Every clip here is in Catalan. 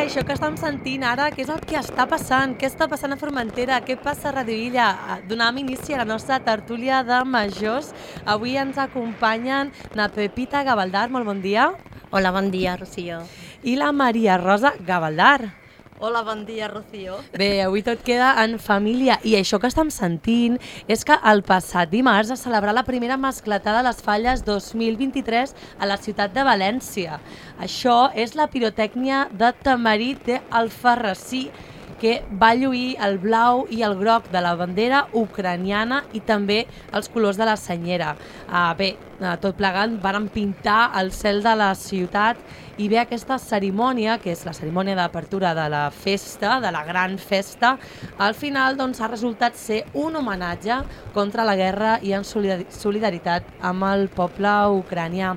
això que estem sentint ara, què és el que està passant? Què està passant a Formentera? Què passa a Radio Illa? Donem inici a la nostra tertúlia de majors. Avui ens acompanyen la Pepita Gavaldar, molt bon dia. Hola, bon dia, Rocío. I la Maria Rosa Gavaldar. Hola, bon dia, Rocío. Bé, avui tot queda en família i això que estem sentint és que el passat dimarts es celebrà la primera mascletada de les Falles 2023 a la ciutat de València. Això és la pirotècnia de Tamarit d'Alfarrasí, que va lluir el blau i el groc de la bandera ucraniana i també els colors de la senyera. Bé, tot plegant varen pintar el cel de la ciutat i bé, aquesta cerimònia, que és la cerimònia d'apertura de la festa, de la gran festa, al final doncs, ha resultat ser un homenatge contra la guerra i en solidaritat amb el poble ucranià.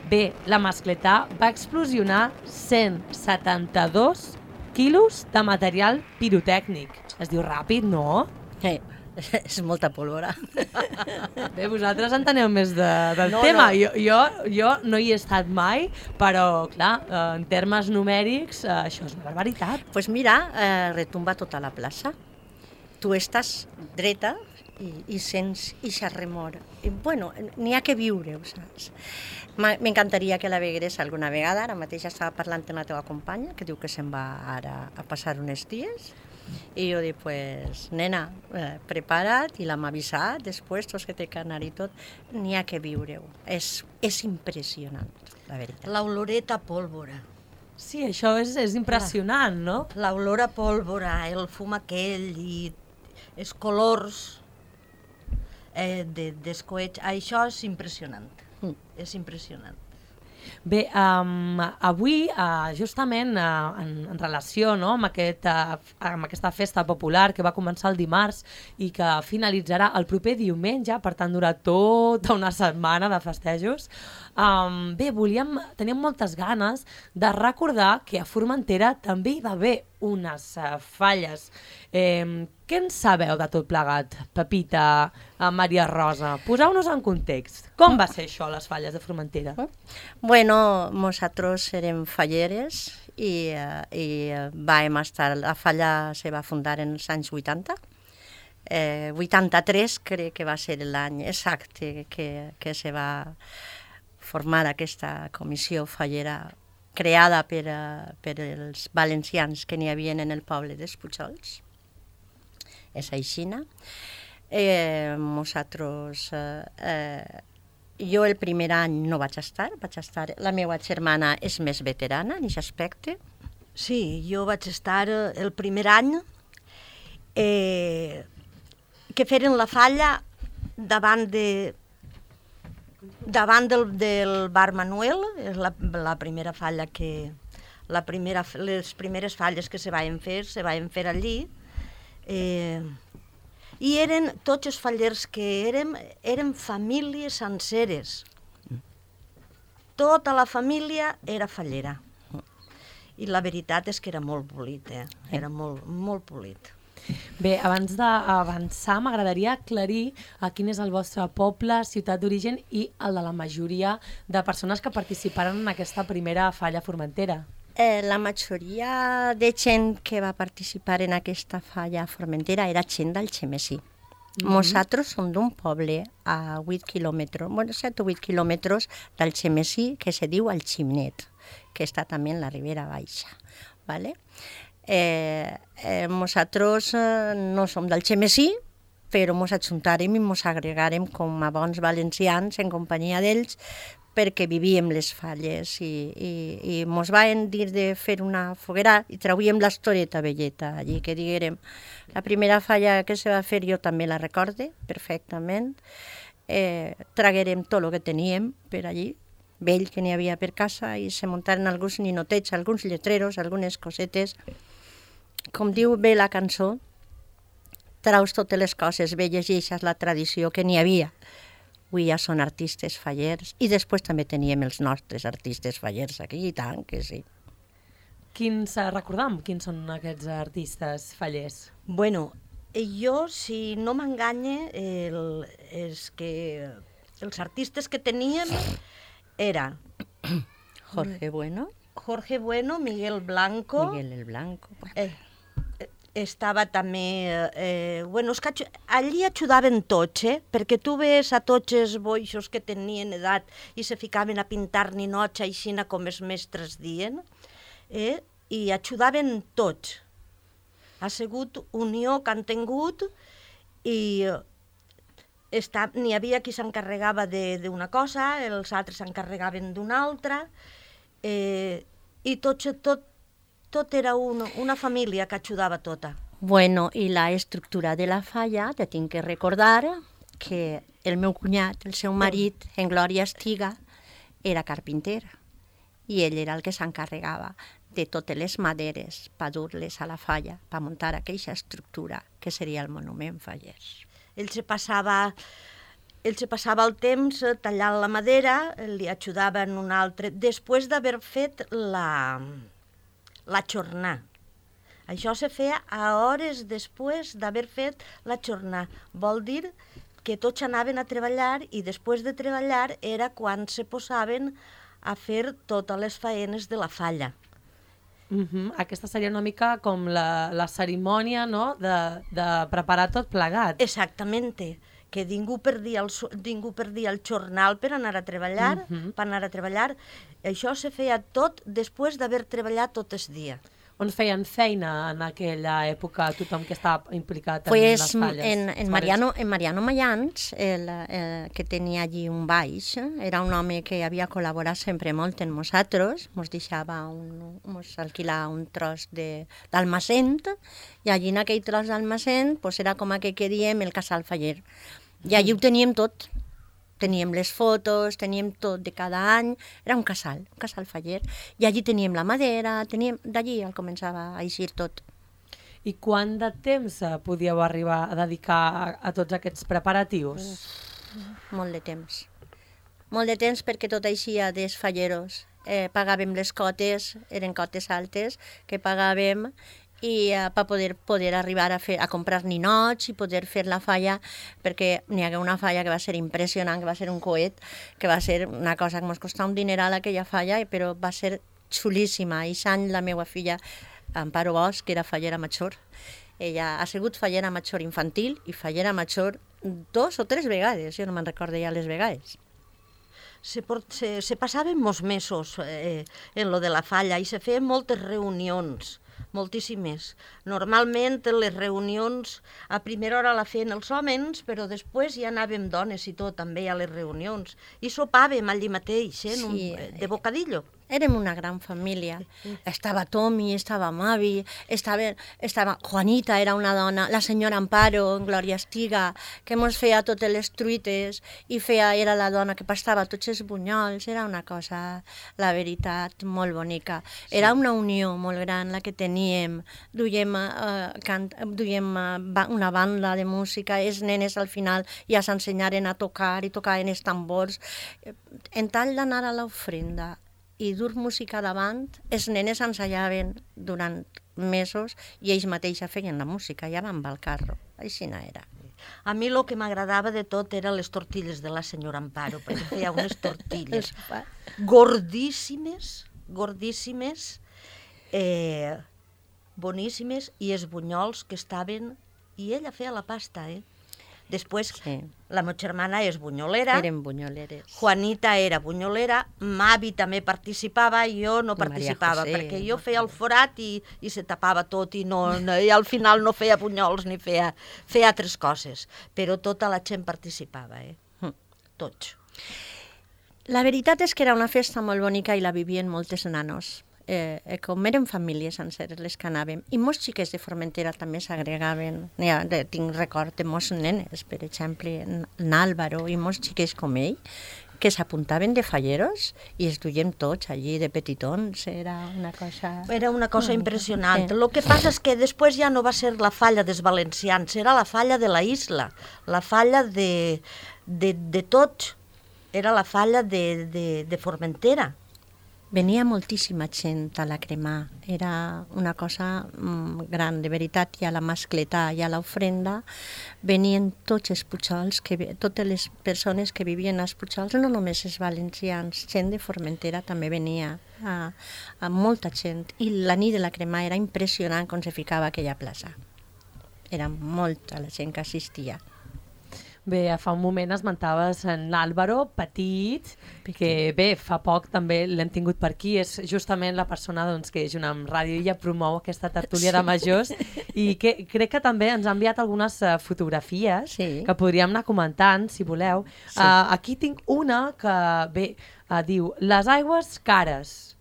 Bé, la mascletà va explosionar 172 quilos de material pirotècnic. Es diu ràpid, no? És molta pólvora. Bé, vosaltres enteneu més del tema. No. Jo no hi he estat mai, però, clar, en termes numèrics, això és una barbaritat. Pues mira, retumba tota la plaça. Tu estàs dreta i sents ixa remor. I, bueno, n'hi ha que viure, ho saps? M'encantaria que la vegués alguna vegada. Ara mateix estava parlant amb la teva companya, que diu que se'n va ara a passar uns dies. I jo dic, pues, nena, prepara't, i l'hem avisat, després tots que té que anar i tot, n'hi ha que viure-ho. És impressionant, la veritat. L'oloreta pólvora. Sí, això és impressionant, no? L'olor a pólvora, el fum aquell i els colors d'escoets, això és impressionant. És impressionant. Bé, avui, justament en relació amb aquesta festa popular que va començar el dimarts i que finalitzarà el proper diumenge, per tant durarà tota una setmana de festejos, bé, teníem moltes ganes de recordar que a Formentera també hi va haver unes falles. Què en sabeu de tot plegat, Pepita, Maria Rosa? Poseu-nos en context. Com va ser això, les falles de Formentera? Bueno, nosaltres érem falleres i vam estar... La falla se va fundar en els anys 80. 83 crec que va ser l'any exacte que se va formar aquesta comissió fallera creada per els valencians que n'hi havia en el poble dels Pujols. És aixina. Nosaltres... Jo el primer any no vaig estar, la meva germana és més veterana en aquest aspecte. Sí, jo vaig estar el primer any que feren la falla davant del bar Manuel, és la primera falla les primeres falles que se van fer allí. I eren tots els fallers que eren famílies senceres. Tota la família era fallera. I la veritat és que era molt polit, era molt, molt polit. Bé, abans d'avançar m'agradaria aclarir quin és el vostre poble, ciutat d'origen i el de la majoria de persones que participaren en aquesta primera falla Formentera. La majoria de gent que va participar en aquesta falla a Formentera era gent d'Algemesí. Nosaltres som d'un poble a 8 quilòmetres, 7 o 8 quilòmetres d'Algemesí, que se diu Algimnet, que està també en la Ribera Baixa. Nosaltres no som d'Algemesí, però ens ajuntarem i ens agregarem com a bons valencians en companyia d'ells, perquè vivíem les falles i ens van dir de fer una foguera i trauíem l'estoreta velleta allí, que diguérem. La primera falla que se va fer jo també la recorde perfectament. Traguérem tot el que teníem per allí, vell que n'hi havia per casa, i se muntaren alguns ninotets, alguns lletreros, algunes cosetes. Com diu bé la cançó, traus totes les coses velles i això és la tradició que n'hi havia. Avui ja són artistes fallers i després també teníem els nostres artistes fallers aquí, i tant que sí. Recordam quins són aquests artistes fallers? Bueno, jo, si no m'enganye, els artistes que teníem era Jorge Bueno, Jorge Bueno, Miguel Blanco. Miguel el Blanco. Estava també... bueno, és que allí ajudaven tots, perquè tu ves a tots els boixos que tenien edat i se ficaven a pintar ninots així com els mestres dient, i ajudaven tots. Ha sigut unió que han tingut i n'hi havia qui s'encarregava d'una cosa, els altres s'encarregaven d'una altra, i tot era una família que ajudava tota. Bueno, i la estructura de la falla, te tinc que recordar que el meu cunyat, el seu marit, en Glòria Estiga, era carpinter i ell era el que s'encarregava de totes les maderes per dur-les a la falla, per muntar aquella estructura que seria el monument fallers. Ell se passava el temps tallant la madera, li ajudava en un altre, després d'haver fet la jornada. Això se feia a hores després d'haver fet la jornada. Vol dir que tots anaven a treballar i després de treballar era quan se posaven a fer totes les faenes de la falla. Aquesta seria una mica com la cerimònia, no?, de preparar tot plegat. Exactament, que ningú perdia el jornal per anar a treballar, Això se feia tot després d'haver treballat tot el dia. On feien feina en aquella època tothom que estava implicat en Pues les falles? En Mariano Mayans, que tenia allí un baix, era un home que havia col·laborat sempre molt amb nosaltres, ens alquilar un tros d'almacent, i allí en aquell tros d'almacent pues era com que diem el casal faller. I allí ho teníem tot. Teníem les fotos, teníem tot de cada any, era un casal faller. I allí teníem la madera, d'allí començava a eixir tot. I quant de temps podíeu arribar a dedicar a tots aquests preparatius? Molt de temps. Molt de temps perquè tot eixia dels falleros. Pagàvem les cotes, eren cotes altes, que pagàvem i per poder arribar a comprar ninots i poder fer la falla, perquè n'hi hagué una falla que va ser impressionant, que va ser un coet, que va ser una cosa que ens costava un dineral aquella falla, però va ser xulíssima. I Sant, la meva filla, Amparo Bosch, que era fallera major, ella ha sigut fallera major infantil i fallera major 2 o 3 vegades, jo no me'n recordo ja les vegades. Se passaven molts mesos en lo de la falla i se feien moltes reunions, moltíssimes. Normalment les reunions a primera hora la feien els homes, però després ja anàvem dones i tot també a les reunions. I sopàvem allí mateix, de bocadillo. Érem una gran família. Estava Tomi, estava Mavi, estava Juanita, era una dona, la senyora Amparo, Glòria Estiga, que mos feia totes les truites i era la dona que pastava tots els bunyols. Era una cosa, la veritat, molt bonica. Era una unió molt gran la que teníem. Duiem una banda de música, els nenes al final ja s'ensenyaren a tocar i tocaven els tambors. En tal d'anar a l'ofrenda i dur música davant, els nenes ensajaven durant mesos i ells mateixos feien la música, ja van al carro, així no era. A mi el que m'agradava de tot eren les tortilles de la senyora Amparo, perquè feia unes tortilles gordíssimes, boníssimes, i els bunyols que estaven... I ella feia la pasta, Després, la meva germana és bunyolera. Eren bunyoleres. Juanita era bunyolera, Mavi també participava, jo no participava, perquè jo feia el forat i se tapava tot i al final no feia bunyols ni feia altres coses. Però tota la gent participava, tots. La veritat és que era una festa molt bonica i la vivien moltes nanos. Com eren famílies senceres les que anàvem, i molts xiquets de Formentera també s'agregaven. Tinc record de molts nenes, per exemple, n'Àlvaro i molts xiquets com ell, que s'apuntaven de falleros i es duien tots allí de petitons. Era una cosa impressionant. El que passa és que després ja no va ser la falla dels valencians, era la falla de la isla, la falla de tots, era la falla de Formentera. Venia moltíssima gent a la cremar, era una cosa gran, de veritat, i a la mascletà i a l'ofrenda venien tots els Pujols, totes les persones que vivien als Pujols, no només els valencians, gent de Formentera també venia, a molta gent, i la nit de la cremar era impressionant com se ficava aquella plaça. Era molta la gent que assistia. Bé, fa un moment esmentaves en l'Àlvaro, petit, que bé, fa poc també l'hem tingut per aquí, és justament la persona doncs, que junt amb Ràdio Illa promou aquesta tertúlia de majors i que crec que també ens ha enviat algunes fotografies que podríem anar comentant, si voleu. Aquí tinc una que, bé, diu, les aigües cares.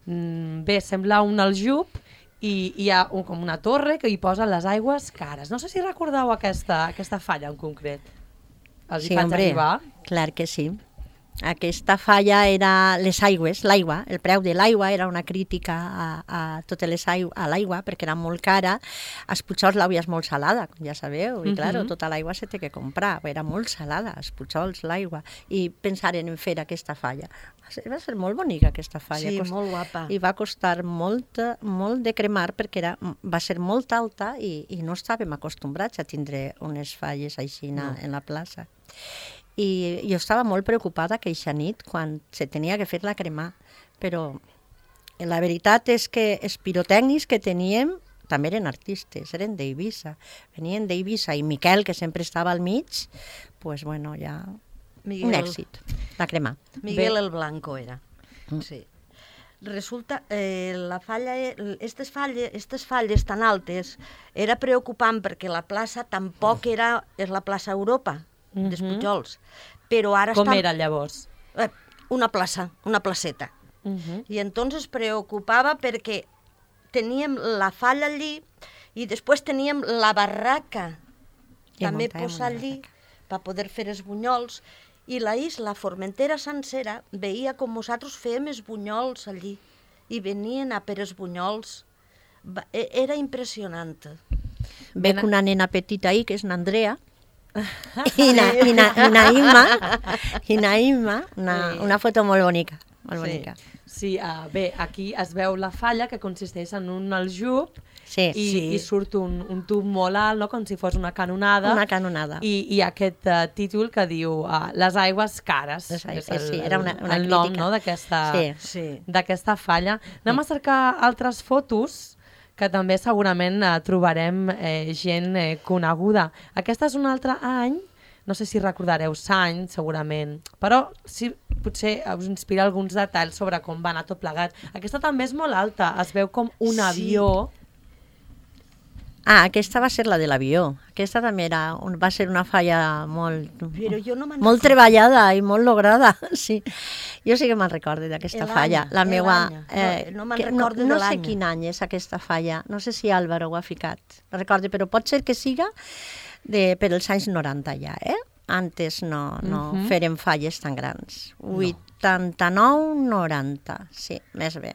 Bé, sembla un aljub i hi ha com una torre que hi posa les aigües cares. No sé si recordeu aquesta falla en concret. Sí, hombre, clar que sí. Aquesta falla era les aigües, l'aigua, el preu de l'aigua era una crítica a totes les a l'aigua perquè era molt cara. Als Pujols l'aigua és molt salada, com ja sabeu, i clar, tota l'aigua se té que comprar, era molt salada, als Pujols l'aigua, i pensaren en fer aquesta falla. Va ser molt bonica aquesta falla. Sí, molt guapa. I va costar molt de cremar perquè va ser molt alta i no estàvem acostumbrats a tindre unes falles així en la plaça. I jo estava molt preocupada aquella nit quan se tenia que fer la cremar, però la veritat és que els pirotècnics que teníem també eren artistes, eren d'Eivissa, venien d'Eivissa, i Miquel, que sempre estava al mig, pues bueno, ja un èxit, la cremar. Miguel el Blanco era, sí. Resulta, la falla, aquestes falles tan altes era preocupant perquè la plaça tampoc és la plaça Europa, dels Pujols, però ara com era llavors? Una plaça, una placeta. I entonces preocupava perquè teníem la falla allí i després teníem la barraca també posar allí per poder fer els bunyols, i la isla Formentera sencera veia com nosaltres fèiem els bunyols allí i venien a per els bunyols. Era impressionant. Veig una nena petita ahí, que és n'Andrea, i Naïma, una foto molt bonica. Molt bonica. Sí, bé, aquí es veu la falla, que consisteix en un aljub i surt un tub molt alt, no? Com si fos una canonada. Una canonada. I aquest títol que diu les aigües cares. Sí, era una el nom, no? d'aquesta falla. Anem a cercar altres fotos que també segurament trobarem gent coneguda. Aquesta és un altre any, no sé si recordareu l'any, segurament, però sí, potser us inspira alguns detalls sobre com va anar tot plegat. Aquesta també és molt alta, es veu com un avió. Aquesta va ser la de l'avió. Aquesta també va ser una falla molt treballada i molt lograda. Sí. Jo sí que me'n recordo d'aquesta falla. La meva, no me'n recordo de l'any. No sé quin any és aquesta falla. No sé si Álvaro ho ha ficat. No recordo, però pot ser que siga per els anys 90 ja, Antes no fèrem falles tan grans. 89, 90, sí, més bé.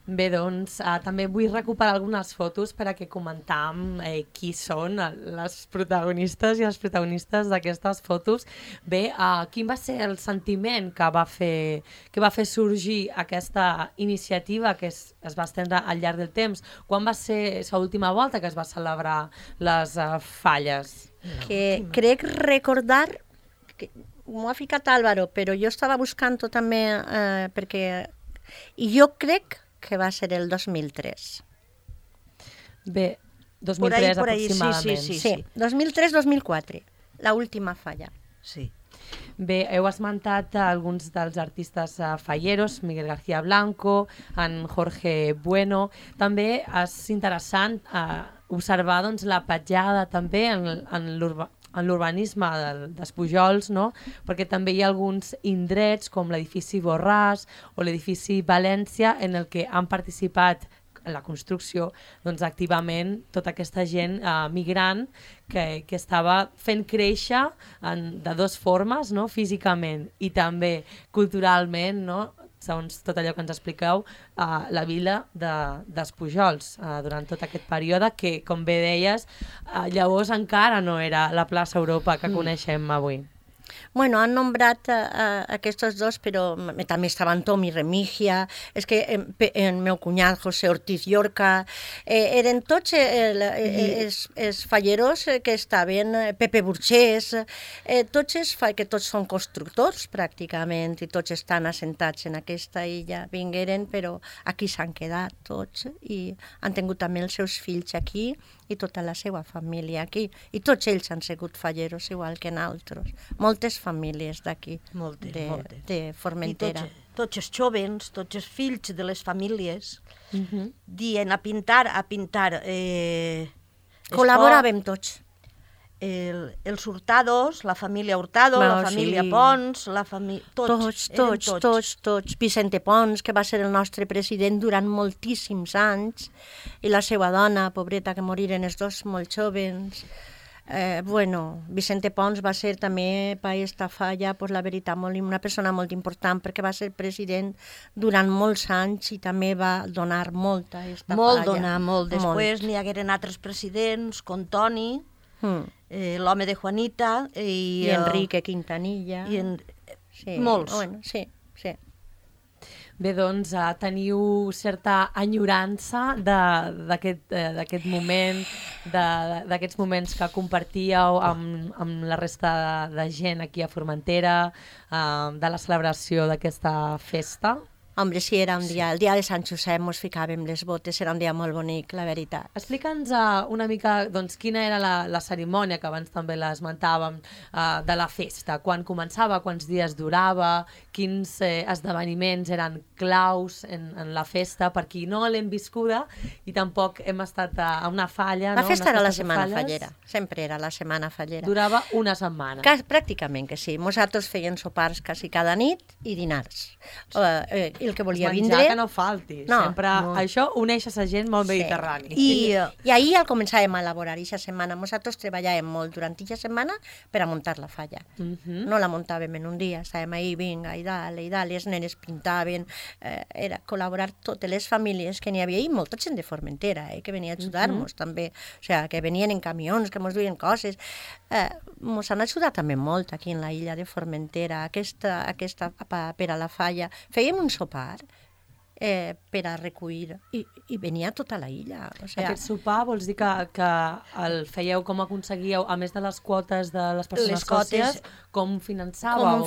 Bé, doncs, també vull recuperar algunes fotos per a que comentam qui són les protagonistes i els protagonistes d'aquestes fotos. Bé, quin va ser el sentiment que va fer sorgir aquesta iniciativa que es va estendre al llarg del temps? Quan va ser l'última volta que es va celebrar les falles? Que crec recordar, que m'ho ha ficat Álvaro, però jo estava buscant-ho també perquè... I jo crec que va ser el 2003. Bé, 2003 aproximadament. Sí, 2003-2004, l'última falla. Sí. Bé, heu esmentat alguns dels artistes falleros, Miguel García Blanco, en Jorge Bueno. També és interessant observar la petjada també en l'urbanisme dels Pujols, no? Perquè també hi ha alguns indrets com l'edifici Borràs o l'edifici València en el que han participat en la construcció activament tota aquesta gent migrant que estava fent créixer de dues formes, no? Físicament i també culturalment, no? Segons tot allò que ens expliqueu, la vila dels Pujols durant tot aquest període que, com bé deies, llavors encara no era la plaça Europa que coneixem avui. Bueno, han nombrat aquests dos, però també estaven Tom i Remigia, és que el meu cunyat, José Ortiz Llorca, eren tots els falleros que estaven, Pepe Burgés, que tots són constructors pràcticament, i tots estan assentats en aquesta illa, vingueren, però aquí s'han quedat tots, i han tingut també els seus fills aquí, i tota la seva família aquí. I tots ells han sigut falleros, igual que nosaltres. Moltes famílies d'aquí, de Formentera. I tots els jovens, tots els fills de les famílies, dient a pintar... Col·laboràvem tots. Els Hurtados, la família Hurtado, la família Pons, la família... Tots. Vicente Pons, que va ser el nostre president durant moltíssims anys, i la seva dona, pobreta, que moriren els dos molt jovens. Vicente Pons va ser també per aquesta falla, la veritat, una persona molt important, perquè va ser president durant molts anys i també va donar molta a aquesta falla. Molt. Després n'hi hagueren altres presidents, com Toni, l'home de Juanita i Enrique Quintanilla. Molts. Sí. Bé, doncs teniu certa enyorança d'aquest moment, d'aquests moments que compartíeu amb la resta de gent aquí a Formentera, de la celebració d'aquesta festa? Hombre, sí, era un dia, el dia de Sant Josep, ens ficàvem les botes, era un dia molt bonic, la veritat. Explica'ns una mica quina era la cerimònia, que abans també l'esmentàvem, de la festa, quan començava, quants dies durava, quins esdeveniments eren claus en la festa, per qui no l'hem viscuda i tampoc hem estat a una falla. La festa era la setmana fallera, sempre era la setmana fallera. Durava una setmana. Pràcticament que sí, nosaltres feien sopars quasi cada nit i dinars. El que volia vindre... Menjar que no falti, sempre això uneix a la gent molt mediterrani. I ahir el començàvem a elaborar aquesta setmana. Nosaltres treballàvem molt durant aquesta setmana per a muntar la falla. No la muntàvem en un dia, estàvem ahí, vinga, i dale, les nenes pintaven, era col·laborar totes les famílies que n'hi havia, i molta gent de Formentera, que venia a ajudar-nos també, o sigui, que venien en camions, que ens duien coses. Ens han ajudat també molt aquí en la illa de Formentera, aquesta per a la falla. Fèiem un sopar per a recollir, i venia tota la illa. Aquest sopar vols dir que el fèieu, com aconseguíeu, a més de les quotes de les persones sòcies, com finançàveu?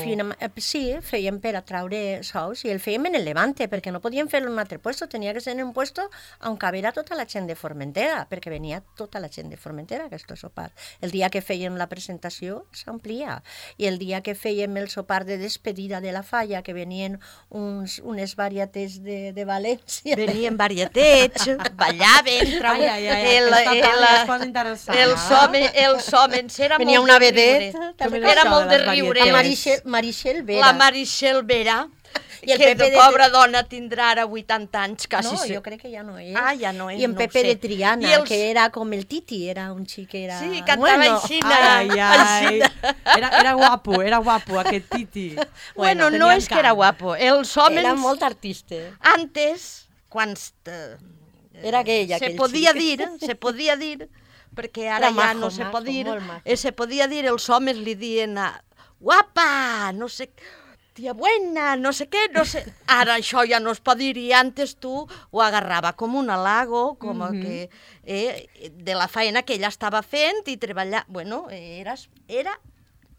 Sí, fèiem per a traure sous, i el fèiem en el Levante, perquè no podíem fer-lo en un altre puesto, tenia que ser en un puesto on cabera tota la gent de Formentera, perquè venia tota la gent de Formentera a aquest sopar. El dia que fèiem la presentació s'amplia, i el dia que fèiem el sopar de despedida de la falla, que venien unes varietés de València. Venien varietets, ballaven, els homes era venia molt una vedeta, era molt de riure. Marixel Vera. La Marixel Vera, I el que Pepe de pobra dona tindrà ara 80 anys, quasi. No, jo crec que ja no és. Ja no és, I en Pepe de Triana, que era com el Titi, era un xic que era... Sí, cantava així. Era guapo aquest Titi. Bueno, no és que era guapo. Els homes... Era molt artista. Antes, quan era aquella, se podia dir, perquè ara ja no se pot dir, se podia dir, els homes li dien guapa, no sé, tia buena, no sé què, no sé... Ara això ja no es pot dir, i antes tu ho agarrava com un halago, com que de la feina que ella estava fent i treballar... Bueno, era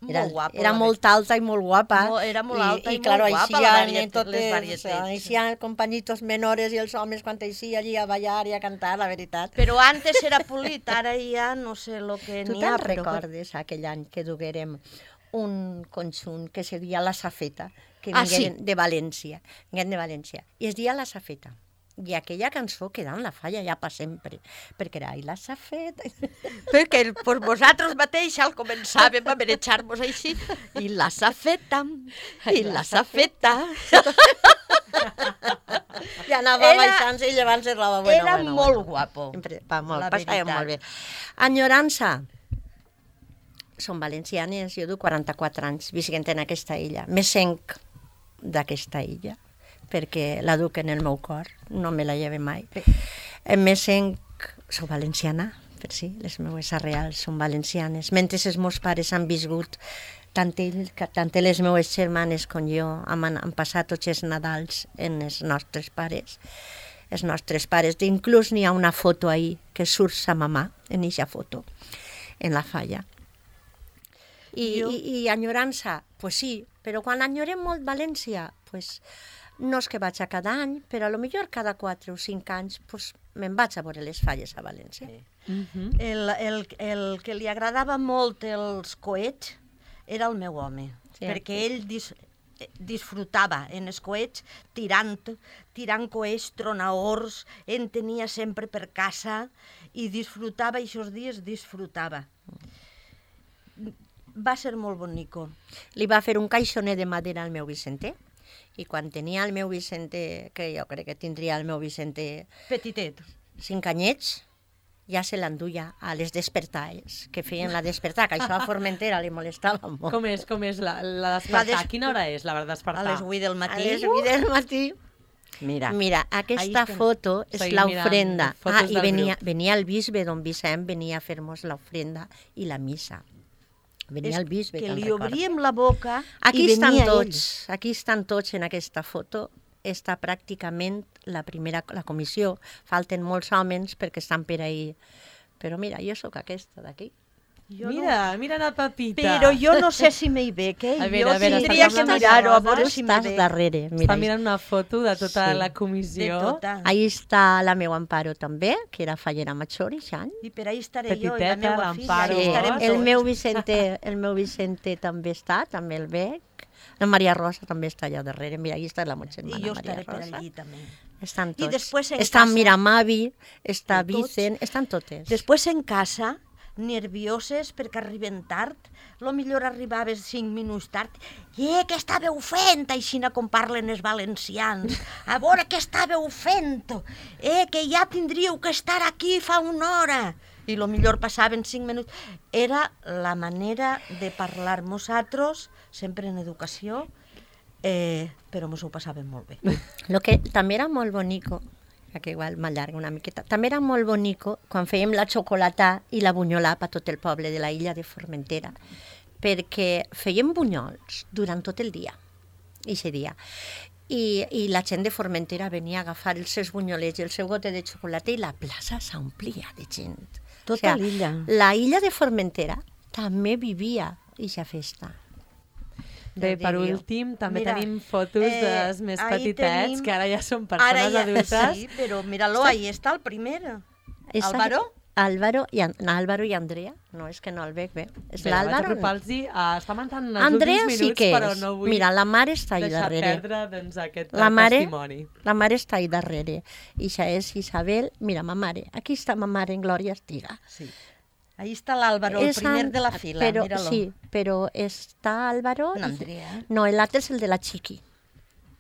molt guapa. Era molt alta i molt guapa. Era molt alta i claro, molt guapa, les varietats. Eixían companyitos menores i els homes quan eixia allí a ballar i a cantar, la veritat. Però antes era polit, ara ja no sé el que n'hi ha. Tu te'n recordes aquell any que duguérem un conjunt que se deia La Safeta, que vingueren de València, i es deia La Safeta. I aquella cançó queda en la falla ja per sempre, perquè era la Safeta. Perquè vosaltres mateix al començàvem a manejar-nos així, i la Safeta, i la Safeta. Ja anava baixant-se i llevant-se roba. Era molt guapo. Passàvem molt bé. Enyorança. Som valencianes, jo du 44 anys visquent en aquesta illa. Me senc d'aquesta illa, perquè la duc en el meu cor, no me la lleve mai. Me senc, soc valenciana, per si, les meues arrels són valencianes. Mentre els meus pares han viscut tant les meves germanes com jo han passat tots els Nadals en els nostres pares. Els nostres pares, inclús n'hi ha una foto ahí que surt sa mamà en aquesta foto, en la falla. I enyorança, pues sí, però quan enyorem molt València, pues no és que vaig a cada any, però a lo millor cada 4 o 5 anys pues, me'n vaig a veure les falles a València. El que li agradava molt els coets era el meu home, perquè ell disfrutava en els coets tirant coets, tronadors, en tenia sempre per casa i disfrutava, i aquests dies disfrutava. Va ser molt bonico. Li va fer un caixoner de madera al meu Vicente, i quan tenia el meu Vicente, que jo crec que tindria el meu Vicente... Petitet. 5 anyets, ja se l'enduia a les despertades, que feien la despertar, que això a Formentera li molestava molt. Com és la despertar? Quina hora és la despertar? A les 8 del matí. A les 8 del matí. Mira, aquesta foto és l'ofrenda. I venia el bisbe, don Vicent, venia a fer-nos l'ofrenda i la missa. Venia el bisbe, que li obríem la boca i venia ell. Aquí estan tots en aquesta foto. Està pràcticament la comissió. Falten molts homes perquè estan per ahir. Però mira, jo sóc aquesta d'aquí. Mira la Pepita. Però jo no sé si m'hi ve, que jo tindria que mirar-ho a veure si m'hi ve. Darrere. Està mirant una foto de tota la comissió. Ahí està la meva Amparo també, que era fallera major i any. I per ahí estaré jo i la meva l'Amparo. filla. El meu Vicente també està, també el veig. La Maria Rosa també està allà darrere. Mira, allà està la meva germana I jo Maria estaré per Rosa. allí també. Estan tots. I després en està casa... Miramavi, està Vicent, estan totes. Després en casa, nervioses perquè arriben tard, lo millor arribaves 5 minuts tard, què estàveu fent, aixina com parlen els valencians, a veure què estàveu fent, que ja tindríeu que estar aquí fa una hora. I lo millor passaven 5 minuts. Era la manera de parlar nosaltres, sempre en educació, però mos ho passàvem molt bé. Lo que també era molt bonico, que igual m'allarga una miqueta, també era molt bonico quan fèiem la xocolata i la bunyolà per tot el poble de la illa de Formentera, perquè fèiem bunyols durant tot el dia, aquest dia. I la gent de Formentera venia a agafar els seus bunyolets i el seu gote de xocolata i la plaça s'omplia de gent. Tota l'illa. La illa de Formentera també vivia aquesta festa. Bé, per últim, també tenim fotos dels més petitets, que ara ja són persones adultes. Sí, però mira-lo, ahí està el primer. Álvaro? Álvaro i Andrea. No, és que no el veig bé. És l'Álvaro. Està mentant els últims minuts, però no vull mira, la mare està ahí darrere. deixar perdre aquest testimoni. La mare està ahí darrere. I això és Isabel. Mira, ma mare. Aquí està ma mare en Glòria Estiga. Sí. Ahí està l'Álvaro, el primer de la fila, míralo. Sí, però està Álvaro... Andrea. No, l'altre és el de la Chiqui.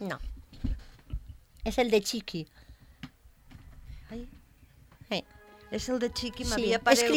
No. És el de Chiqui. Ai. És el de Chiqui, Sí, m'havia paregut...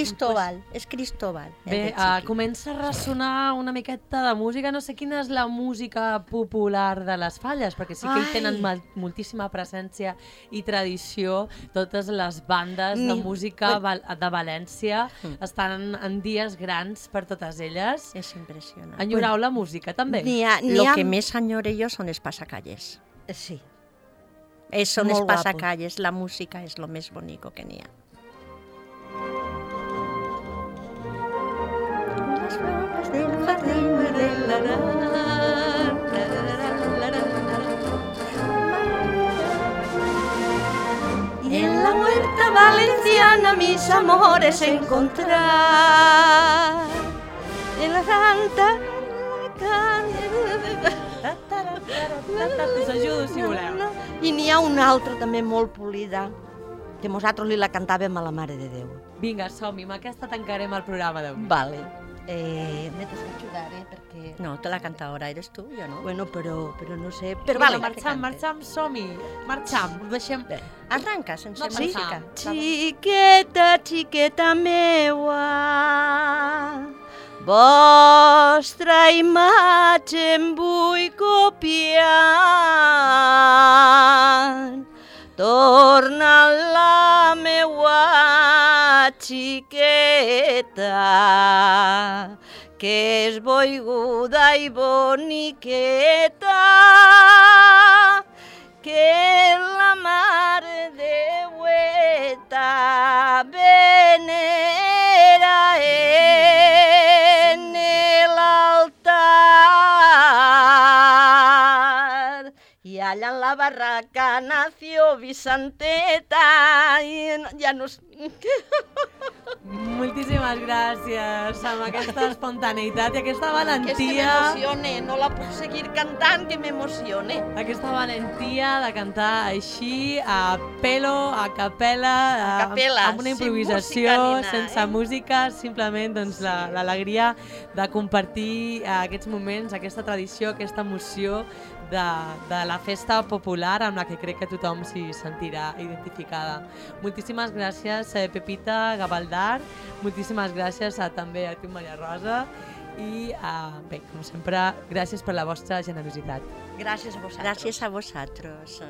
és Cristóbal. Bé, comença a ressonar una miqueta de música. No sé quina és la música popular de les falles, perquè sí que hi tenen moltíssima presència i tradició. Totes les bandes de música de València estan en dies grans per totes elles. És impressionant. Enyorau la música, també? Lo que més enyore jo són els passacalles. Sí. Són els Molt guapo. passacalles, la música és lo més bonico que n'hi ha. Las flores del jardín Y en la huerta valenciana mis amores encontrar. En la santa... Us ajudo, si voleu. I n'hi ha una altra també molt polida, que nosaltres li la cantàvem a la Mare de Déu. Vinga, som-hi, amb aquesta tancarem el programa d'avui. Vale. Me t'has d'ajudar, perquè... No, te la cantadora eres tu, jo no. Bueno, però no sé... Però vale. marxam, som-hi. Marxam, ho deixem... Arranca, sense música. Xiqueta, xiqueta meua, vostra imatge em vull copiar. Torna la meua xiqueta, que és boiguda i boniqueta, que la mare deueta venera en l'altar. I allà en la barraca nació Vicenteta i ja no... Moltíssimes gràcies amb aquesta espontaneïtat i aquesta Que és que valentia. m'emocione, no la puc seguir cantant, que m'emocione. Aquesta valentia de cantar així, a pelo, a capella, A capella, amb una sin improvisació, música ni nada, sense música, simplement doncs, l'alegria de compartir aquests moments, aquesta tradició, aquesta emoció de la festa popular amb la que crec que tothom s'hi sentirà identificada. Moltíssimes gràcies, Pepita Gavaldar, moltíssimes gràcies també a tu, Maria Rosa, i bé, com sempre, gràcies per la vostra generositat. Gràcies a vosaltres. Gràcies a vosaltres.